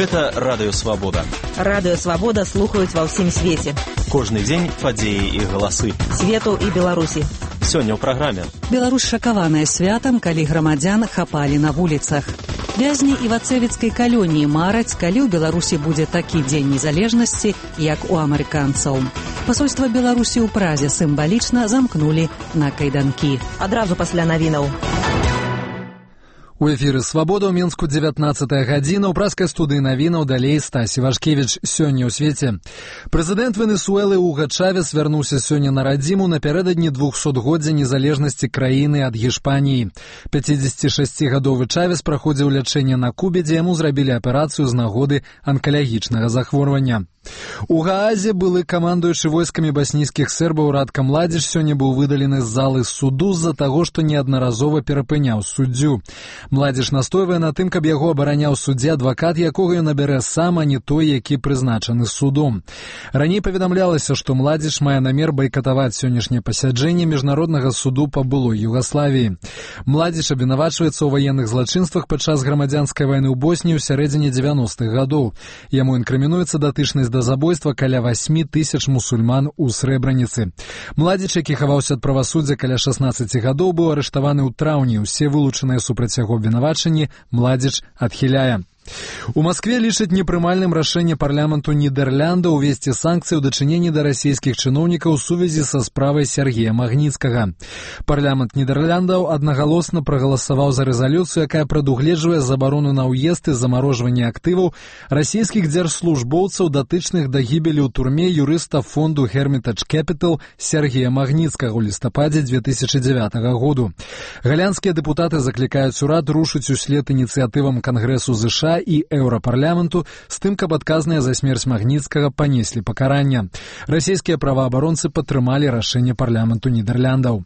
Гэта Радыё Свабода. Радыё Свабода слухаюць ва ўсім свеце. Кожны дзень падзеі і галасы. Свету і Беларусі. Сёння ў праграме. Беларусь шакаваная святам, калі грамадзян хапалі на вуліцах. Вязні івацэвіцкай калоніі мараць, калі ў Беларусі будзе такі дзень незалежнасці, як у амерыканцаў. Пасольства Беларусі ў Празе сімвалічна замкнулі на кайданкі. Адразу пасля навінаў. У эфіры «Свабода» ў Мінску 19-я гадзіна. У празкай студыі навінаў далей Стасі Вашкевіч. Сёння ў свеце. Прэзідэнт Венесуэлы Уга Чавес вярнуўся сёння на радзіму напярэдадні 200-годдзя незалежнасці краіны ад Гішпаніі. 56-гадовы Чавес праходзіў лячэнне на Кубе, дзе яму зрабілі аперацыю з нагоды анкалагічнага захворвання. У Гаазе былы камандуючы войскамі баснійскіх сербаў Радка Младзіч сёння быў выдалены з залы суду з-за таго, што неаднаразова перапыняў суддзю. Младзіч настойвае на тым, каб яго абараняў суддзя адвакат, якога ён набярэ сам, а не той, які прызначаны судом. Раней паведамлялася, што Младзіч мае намер байкатаваць сённяшняе пасяджэнне міжнароднага суду па былой Югаславіі. Младзіч абвінавачваецца ў ваенных злачынствах падчас грамадзянскай вайны ў Босніі ў сярэдзіне 90-х гадоў. Яму інкрымінуецца датычнасць да забойства каля 8 тысяч мусульман у Срэбраніцы. Младзіч, які хаваўся ад правасуддзя каля 16 гадоў, быў арыштаваны ў траўні. Усе вылучаныя супраць яго абвінавачанні Младзіч адхіляе. У Маскве лічаць непрымальным рашэнне парламенту Нідэрляндаў увесці санкцыі ў дачыненні да расійскіх чыноўнікаў у сувязі са справай Сергея Магніцкага. Парламент Нідэрляндаў аднагалосна прагаласаваў за рэзалюцыю, якая прадугледжвае забарону на ўезд і замарожванне актываў расійскіх дзяржслужбоўцаў, датычных да гібелі ў турме юрыста фонду Hermitage Capital Сергея Магніцкага ў лістападзе 2009 году. Галандскія дэпутаты заклікаюць урад рушыць услед ініцыятывам Кангрэсу ЗША і Еўрапарламенту з тым, каб адказныя за смерць Магніцкага панеслі пакарання. Расійскія праваабаронцы падтрымалі рашэнне парламенту Нідэрляндаў.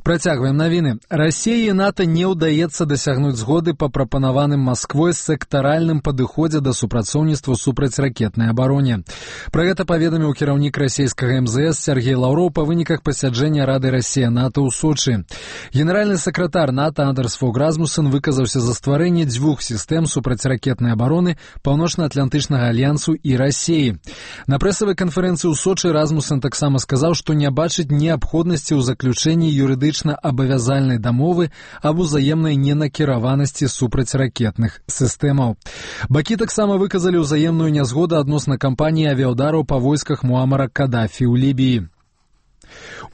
Працягваем навіны. Расіі і НАТО не ўдаецца дасягнуць згоды па прапанаваным Масквой сектаральным падыходзе да супрацоўніцтва супраць ракетнай абароне. Пра гэта паведаміў кіраўнік расійскага МЗС Сергей Лаўроў па выніках пасяджэння Рады Расія-НАТО ў Сочы. Генеральны сакратар НАТО Андерс Фог Расмуссен выказаўся за стварэнне дзвюх сістэм супрацьракетнай абароны Паўночна-Атлантычнага альянсу і Расіі. На прэсавай канферэнцыі ў Сочы Расмуссен таксама сказаў, што не бачыць неабходнасці ў заключэнні юрыдычнай абавязальнай дамовы аб узаемнай ненакіраванасці супрацьракетных сістэмаў. Бакі таксама выказалі ўзаемную нязгоду адносна кампаніі авіяўдараў па войсках Муамара Кадафі ў Лібіі.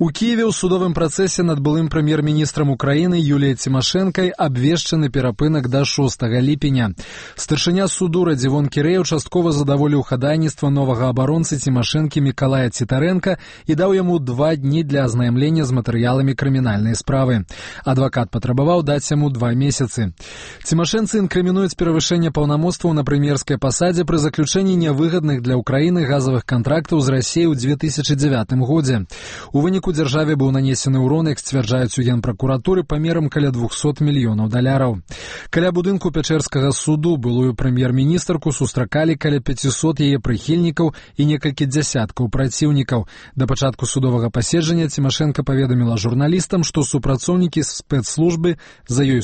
У Киеве ў судовым працэсе над былым прэм'ер-міністрам Украіны Юліяй Цімашэнкай абвешчаны перапынак да 6 ліпеня. Старшыня суду Радзівон Кірэеў часткова задаволіў хадайніцтва новага абаронцы Цімашэнкі Мікалая Цітарэнка і даў яму 2 дні для азнаямлення з матэрыяламі крымінальнай справы. Адвакат патрабаваў даць яму 2 месяцы. Цімашэнцы інкрымінуюць перавышэнне паўнамоцтваў на прэм'ерскай пасадзе пры заключэнні нявыгадных для Украіны газавых кантрактаў з Расіяй у 2009 годзе. У выніку дзяржаве быў нанесены ўрон, як сцвярджаюць у Генпракуратуры, памерам каля $200 мільёнаў. Каля будынку Пячэрскага суду былую прэм'ер-міністрку сустракалі каля 500 яе прыхільнікаў і некалькі дзясяткаў праціўнікаў. Да пачатку судовага паседжання Цімашэнка паведаміла журналістам, што супрацоўнікі спецслужбы за ёй